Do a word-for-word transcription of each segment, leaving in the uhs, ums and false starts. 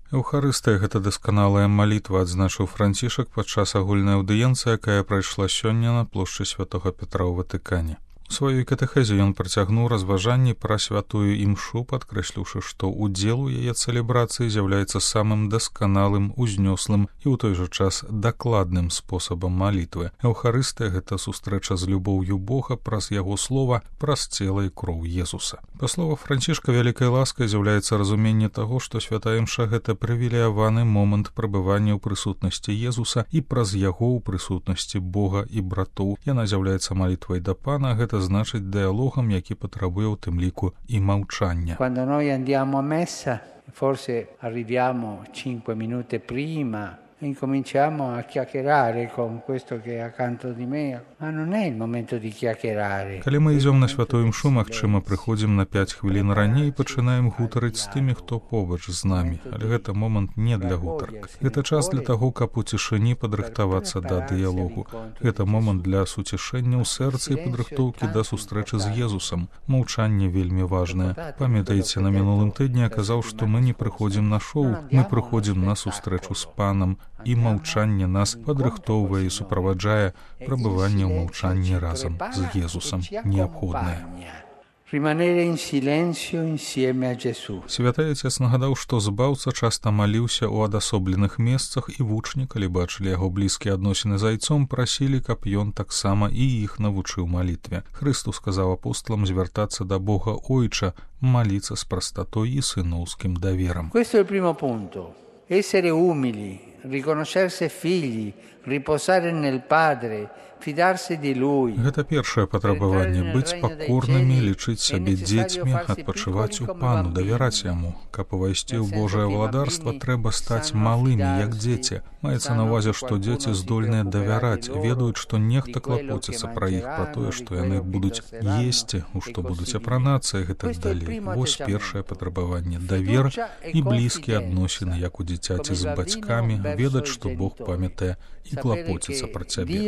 Эўхарыстыя — гэта дасканалая малітва, адзначыў Францішак падчас агульнай аўдыенцыі, якая прайшла сёння на плошчы святога Петра ў Ватыкане. У сваёй катэхезе ён працягнуў разважанні пра святую імшу, падкрэсліўшы, што удзел у яе цэлебрацыі з'яўляецца самым дасканалым, узнёслым і ў той жа час дакладным спосабам малітвы. Эўхарыстыя — гэта сустрэча з любоўю Бога праз яго слова, праз цела і кроў Езуса. Па словах Францішка, вялікай ласкай з'яўляецца разуменне таго, што святая імша — гэта прывілеяваны момант прабывання ў прысутнасці Езуса і праз яго ў прысутнасці Бога і братоў. Яна з'яўляецца малітвай да Пана, гэта значыць дыалогам, які патрабуе ў тым ліку і маўчання. Quando noi andiamo a messa, forse arriviamo cinque minuti prima e incominciamo a chiacchierare con questo che è accanto di me, ma non è il momento di chiacchierare. Калі мы ідзём на святую імшу, магчыма, прыходзім на пяць хвілін раней і пачынаем гутарыць з тымі, хто побач з намі, але гэта момант не для гутарак. Гэта час для таго, каб у цішыні падрыхтавацца да дыялогу. Гэта момант для суцішэння ў сэрцы і падрыхтоўкі да сустрэчы з Езусам. Маўчанне вельмі важнае. Памятаеце, на мінулым тыдні я казаў, што мы не прыходзім на шоу, мы прыходзім на сустрэчу з Панам, і маўчанне нас падрыхтоўвае і суправаджае. Прабыванне ў маўчанні разам з Езусам неабходнае. Святы Отец нагадаў, што збаўца часта маліўся ў адасобленых месцах, і вучні, калі бачылі яго блізкія адносіны з айцом, прасілі, каб ён таксама і іх навучыў малітве. Хрыстус сказаў апосталам звяртацца да Бога Ойча, маліцца з прастатой і сыноўскім даверам. Questo è il primo punto. Essere umili, riconoscersi figli, riposare nel Padre, fidarsi di Lui. Гэта першае патрабаванне — быць пакорнымі, лічыць сябе дзецьмі, адпачываць у Пану, давяраць Яму. Каб увайсці ў Божае валадарства, трэба стаць малымі, як дзеці. Маецца на ўвазе, што дзеці здольныя давяраць, ведаюць, што нехта клапоціцца пра іх, пра тое, што яны будуць есці, у што будуць апранацца і гэтак далей. Вось першае патрабаванне — давер і блізкія адносіны, як у дзіцяці з бацькамі, ведаць, што Бог памятае і клапоціцца пра цябе.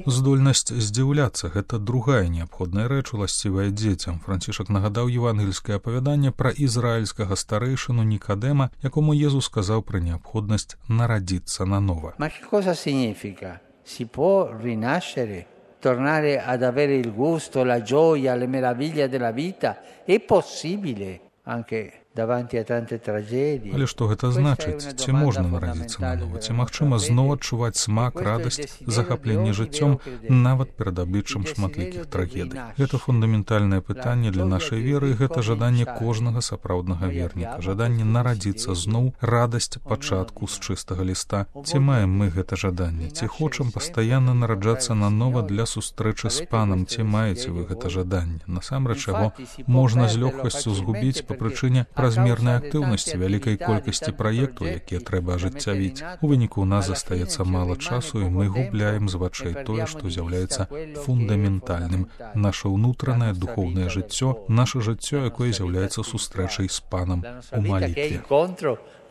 Здольнасць здзіўляцца — гэта другая неабходная рэч, уласцівая дзецям. Францішак нагадаў евангельскае апавяданне пра ізраільскага старэйшыну Нікадэма, якому Езус сказаў пра неабходнасць нарадзіцца нанова. Ma che cosa significa? Si può rinascere, tornare ad avere il gusto, la gioia, le meraviglie della vita? È possibile anche davanti a tante tragedie. Але што гэта значыць? Ці можна нарадзіцца нанова? Ці магчыма зноў адчуваць смак, радасць, захапленне жыццём нават перад абліччам шматлікіх трагедый? Гэта фундаментальнае пытанне для нашай веры, і гэта жаданне кожнага сапраўднага верніка, жаданне нарадзіцца зноў, радасць пачатку з чыстага ліста. Ці маем мы гэта жаданне? Ці хочам пастаянна нараджацца нанова для сустрэчы з Панам? Ці маеце вы гэта жаданне? Насамрэч, яго можна з лёгкасцю згубіць па прычыне празмернай актыўнасці, вялікай колькасці праектаў, якія трэба ажыццявіць. У выніку ў нас застаецца мала часу, і мы губляем з вачэй тое, што з'яўляецца фундаментальным. Наша ўнутранае духоўнае жыццё, наша жыццё, якое з'яўляецца сустрэчай з Панам у малітве.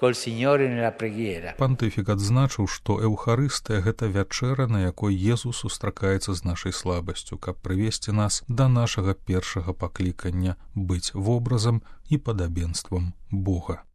Пантыфік адзначыў, што Эўхарыстыя — гэта вячэра, на якой Езус сустракаецца з нашай слабасцю, каб прывесці нас да нашага першага паклікання быць вобразам і падабенствам Бога.